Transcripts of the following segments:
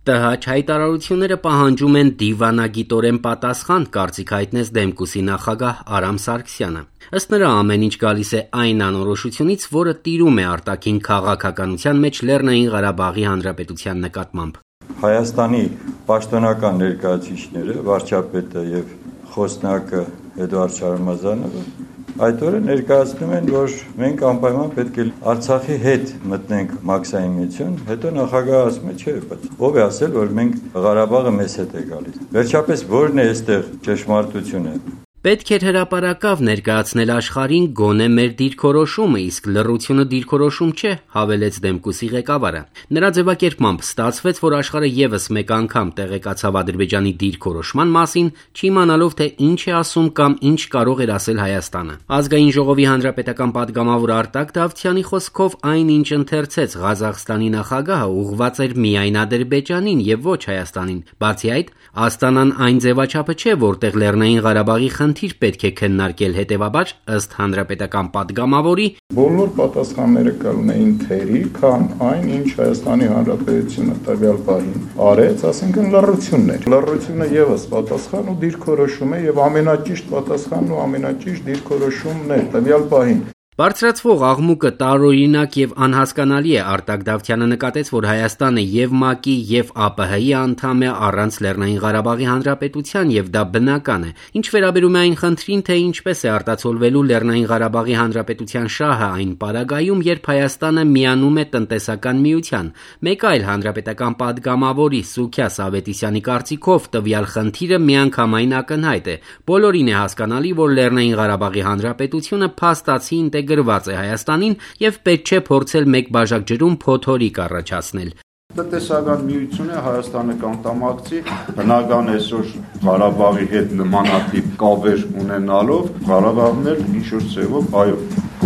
ՏՀ հայտարարությունները պահանջում են դիվանագիտորեն պատասխան, կարծիք հայտնեց Դեմկուսի նախագահ Արամ Սարգսյանը։ Ըստ նրա, ամեն ինչ գալիս է այն անորոշությունից, որը տիրում է արտաքին քաղաքականության մեջ Լեռնային Ղարաբաղի Հանրապետության նկատմամբ։ Հայաստանի պաշտոնական ներկայացուցիչները, վարչապետը եւ խոսնակը Էդուարդ Շարմազանովը այդ օրը ներկայացնում են, որ մենք անպայման պետք է Արցախի հետ մտնենք մաքսային միություն, հետո նախագահը ասում է, չէ, բայց ով է ասել, որ մենք Ղարաբաղը մեզ հետ է գալիս։ Վերջապես ո՞րն է այստեղ ճշմարտությունը։ Պետք էր հրապարակավ ներկայացնել աշխարհին գոնե մեր դիրքորոշումը, իսկ լռությունը դիրքորոշում չէ, հավելեց Դեմկուսի ղեկավարը։ Նրա ձևակերպմամբ ստացվեց, որ աշխարհը եւս մեկ անգամ տեղեկացավ Ադրբեջանի դիրքորոշման մասին, չիմանալով թե ինչ է ասում կամ ինչ կարող էր ասել Հայաստանը։ Ազգային ժողովի հանրապետական падգամավոր Արտակ Դավթյանի խոսքով այն, ինչ ընթերցեց Ղազախստանի նախագահը, ուղղված էր միայն Ադրբեջանին եւ ոչ Հայաստանին։ Բացի այդ, Աստանան այն ձևաչափը չէ, որտեղ Լեռնային Ղարաբաղի խնդիր պետք է քննարկել, հետևաբար, ըստ հանրապետական падգամավորի, բոլոր պատասխանները կլինեին թերի, քան այն, ինչ Հայաստանի Հանրապետությունը տվյալ պահին արեց, ասենքն լռություններ։ Լռությունը եւս պատասխան ու դիրքորոշում է եւ ամենաճիշտ պատասխանն ու ամենաճիշտ դիրքորոշումն է տվյալ պահին։ Բարձրացվող աղմուկը տարօրինակ եւ անհասկանալի է, Արտակ Դավթյանը նկատեց, որ Հայաստանը եւ ՄԱԿ-ի եւ ԱՊՀ-ի անդամ է առանց Լեռնային Ղարաբաղի Հանրապետության եւ դա բնական է։ Ինչ վերաբերում է այն խնդրին, թե ինչպես է արտացոլվելու Լեռնային Ղարաբաղի Հանրապետության շահը այն պարագայում, երբ Հայաստանը միանում է տնտեսական միության, մեկ այլ հանրապետական падգամավորի Սուքիա Սավետիսյանի կարծիքով տվյալ խնդիրը միանգամայն ակնհայտ է։ Բոլորին է հասկանալի, որ Լեռնային Ղարաբաղի Հանրապետությունը փաստացի գրված է Հայաստանին եւ պետք չէ փորձել մեկ բաժակ ջրում փոթորիկ առաջացնել։ Տնտեսական միությունը Հայաստանը կանտամակցի, բնական այսօր Ղարաբաղի հետ նմանատիպ կապեր ունենալով Ղարաբաղն էլ ինչ-որ ձևով այո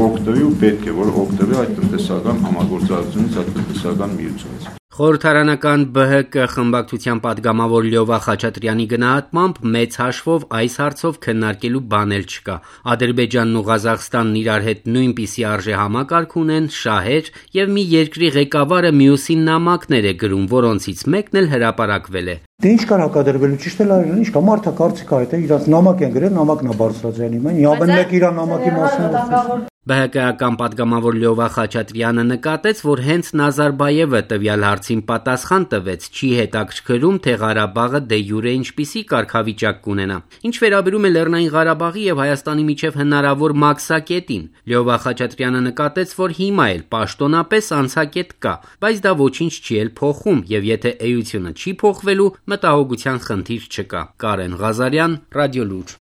օգտվի ու պետք է որ օգտվի այդ տնտեսական համագործակցությունից, այդ տնտեսական միությունից։ Խորհրդարանական ԲՀԿ խմբակցության падգամավոր Լյովա Խաչատրյանի գնահատմամբ մեծ հաշվով այս հարցով քննարկելու բան էլ չկա։ Ադրբեջանն ու Ղազախստանն իրար հետ նույնպիսի արժեհամակարգ ունեն, շահեր եւ մի երկրի ղեկավարը մյուսին նամակներ է գրում, որոնցից մեկն էլ հրապարակվել է։ Դե ինչ կար հակադրվելու, ճիշտ է լավ, ինչ կա, մարդը կարծիք այդ է, իրանց նամակ են գրել, նամակն է բարձրացրել իմ, նյաբեն մեկ իր նամակի մասին։ ԲՀԿ-ական падգամավոր Լյովա Խաչատրյանը նկատեց, որ հենց Նազարբայևը տվյալ հարցին պատասխան տվեց, չի հետաքրքրում, թե Ղարաբաղը դե յուրե ինչպիսի կարգավիճակ կունենա։ Ինչ վերաբերում է Լեռնային Ղարաբաղի եւ Հայաստանի միջև հնարավոր մաքսակետին, Լյովա Խաչատրյանը նկատեց, որ հիմա էլ պաշտոնապես անցակետ կա, բայց դա ոչինչ չի էլ փոխում եւ եթե էությունը չի փոխվելու, մտահոգության խնդիր չկա։ Կարեն Ղազարյան, Ռադիոլուր։